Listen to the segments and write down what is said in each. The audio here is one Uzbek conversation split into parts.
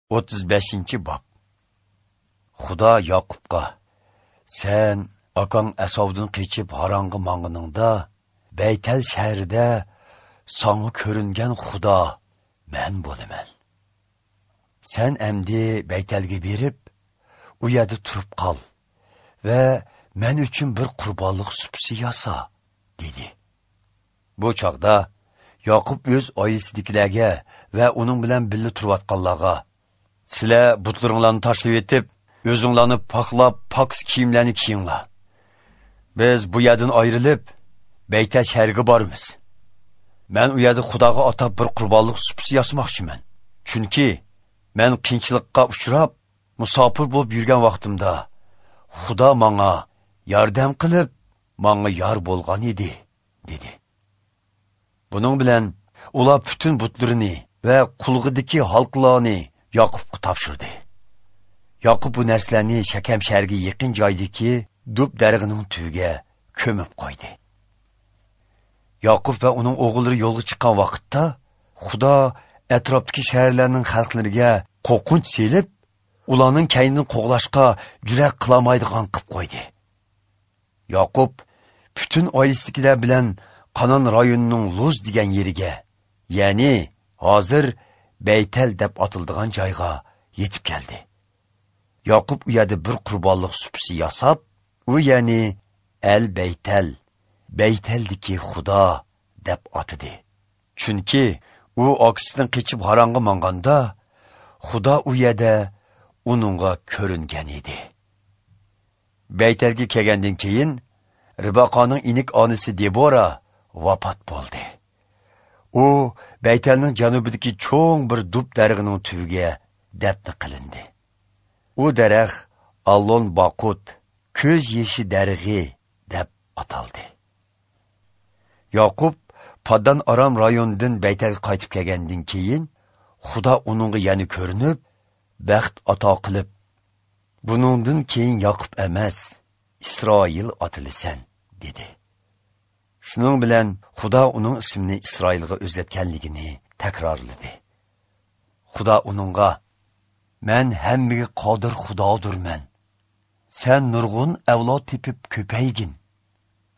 35 bob. Xudo Yoqubga: "Sen akang Asovdan qochib Haronga mang'iningda, Baytal shahrida sanga ko'ringan Xudo men bo'laman. Sen endi Baytalga berib, u yerda turib qol va men uchun bir qurbonlik supisi yasa" dedi. Bu chog'da Yoqub o'z oilasidagilarga va uning bilan birga turayotganlarga: "Sizlar butlaringlarni tashlab etib, o'zinglarni poklab, pokiz kiyimlarni kiyinglar. Biz bu yerdan ayrilib, Baytal shahriga boramiz. Men u yerda Xudoga atab bir qurbonlik supisi yasamoqchiman. Chunki men qiyinchilikqa uchrab, musofir bo'lib yurgan vaqtimda Xudo menga yordam qilib, menga yor bo'lgan edi" dedi. Buning bilan ular butun butlarini va qulg'idagi halqlarni Yoqubga topshirdi. Yoqub bu narsalarni Shakam shahriga yaqin joydagi dub darig'ining tubiga ko'mib qo'ydi. Yoqub va uning o'g'illari yo'lga chiqqan vaqtda Xudo atrofdagi shaharlarning xalqlariga qo'rqinch selib, ularning kaynidan qo'g'lashga jurak qilolmaydigan qilib qo'ydi. Yoqub butun oilasidagilar bilan Qanon rayonining Luz degan yeriga, ya'ni hozir Baytal deb atildigan joyga yetib keldi. Yoqub u yerda bir qurbonlik supisi yasab, u ya'ni El Baytal, Baytaldagi Xudo deb atidi. Chunki u akasidan qochib Haronga manganda Xudo u yerda uningga ko'ringan edi. Baytalga kelgandan keyin Ribaqaning inik onasi Debora vafot bo'ldi. U Baytalning janubidagi cho'ng bir dub darig'ining tubiga dafn qilindi. U daraxt Allon Baqut, ko'z yeshi darig'i deb ataldi. Yoqub Paddan Aram rayonidan Baytalga qaytib kelgandan keyin Xudo uningga yana ko'rinib, baxt ato qilib, "Buningdan keyin Yoqub emas, Isroil atilisan" dedi. Shuning bilan Xudo uning ismini Isroilga o'zgartganligini takrorladi. Xudo uningga: "Men hammaga qodir Xudodurman. Sen nurg'un avlod tepib ko'paygin.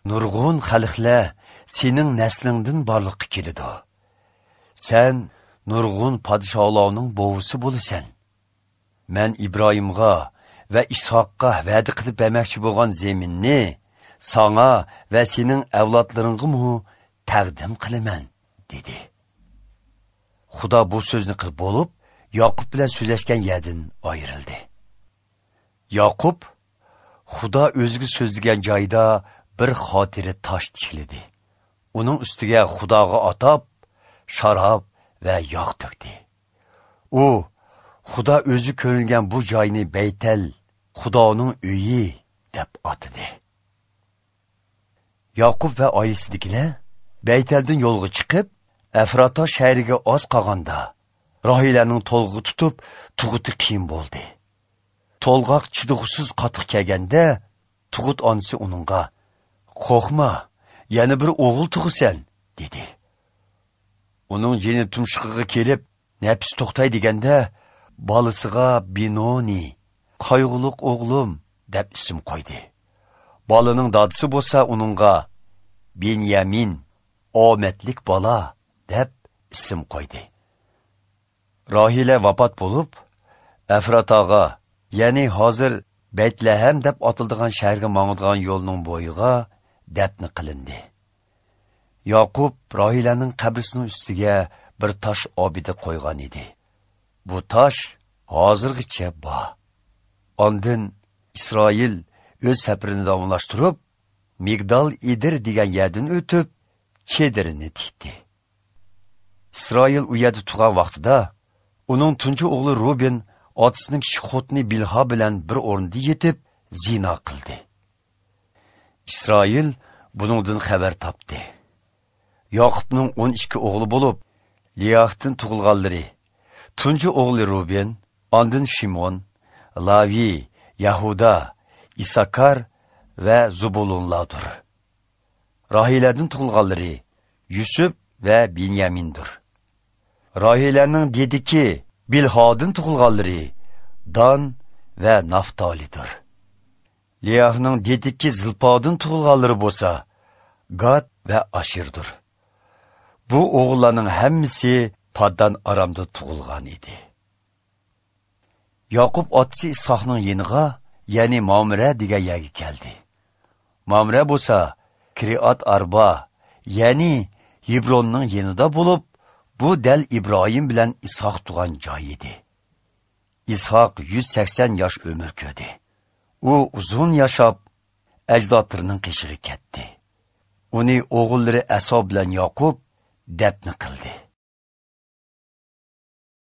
Nurg'un xalqlar sening naslingdan borliqqa keladi. Sen nurg'un podsholarning bovisi bo'lasan. Men Ibrohimga va Ishoqqa va'da qilib bermoqchi bo'lgan zaminni sana va sening avlodlaringga taqdim qilaman" dedi. Xudo bu so'zni qilib bo'lib, Yoqub bilan so'zlashgan yerdan ayrildi. Yoqub Xudo o'ziga so'zlagan joyda bir xotira tosh tikladi. Uning ustiga Xudoga atab sharob va yog' to'kdi. U Xudo o'zi ko'ringan bu joyni Baytal, Xudoning uyi deb atadi. Yoqub va oilasidagilar Baytaldan yo'lga chiqib, Efrata shahriga oz qolganda Rohilaning to'lg'i tutib, tug'uti qiyin bo'ldi. To'lg'oq chidug'siz qattiq kelganda, tug'ut onasi uningga: "Qo'rqma, yana bir o'g'il tug'asan" dedi. Uning jini tumshuqqiga kelib, nafsi to'xtay deganda, bolasiga Binoni, qayg'uliq o'g'lim deb ism qo'ydi. Bolaning dadisi bo'lsa uningga Benyamin, omadlik bola deb ism qo'ydi. Rohila vafot bo'lib, Efrataga, ya'ni hozir Baytlahem deb atildigan shaharga mangadigan yo'lning bo'yiga dafn qilindi. Yoqub Rohilaning qabrisining ustiga bir tosh obida qo'ygan edi. Bu tosh hozirgacha bor. Ondan Isroil o'z safarini davomlashtirib, Migdal Edir degan yerdan o'tib, chedirini tikdi. Isroil u yerda tug'an vaqtida uning tunji o'g'li Ruben otasining kichik xotini Bilha bilan bir o'rinda yetib zino qildi. Isroil buningdan xabar topdi. Yoqubning 12 o'g'li bo'lib, Liyohdan tug'ilganlari: tunji o'g'li Ruben, ondan Shimon, Lavi, Yahuda, Isakar va Zubulunlardir. Rahilardan tug'ilganlari Yusuf va Binyamindir. Rahilarning dediki Bilhodin tug'ilganlari Dan va Naftalidir. Liyahning dediki Zilpodin tug'ilganlari bo'lsa Gad va Ashirdir. Bu o'g'illarning hammasi Paddan Aramda tug'ilgan edi. Yoqub otasi Ishoqning yeniga, ya'ni Mamre degan yerga keldi. Mamre bo'lsa Kiriat Arba, ya'ni Hebronning yenida bo'lib, bu dal Ibrohim bilan Ishoq tug'an joy edi. Ishoq 180 yosh umr ko'rdi. U uzun yashab, ajdodlarining qishig'i ketdi. Uni o'g'illari Aso bilan Yoqub dafn qildi.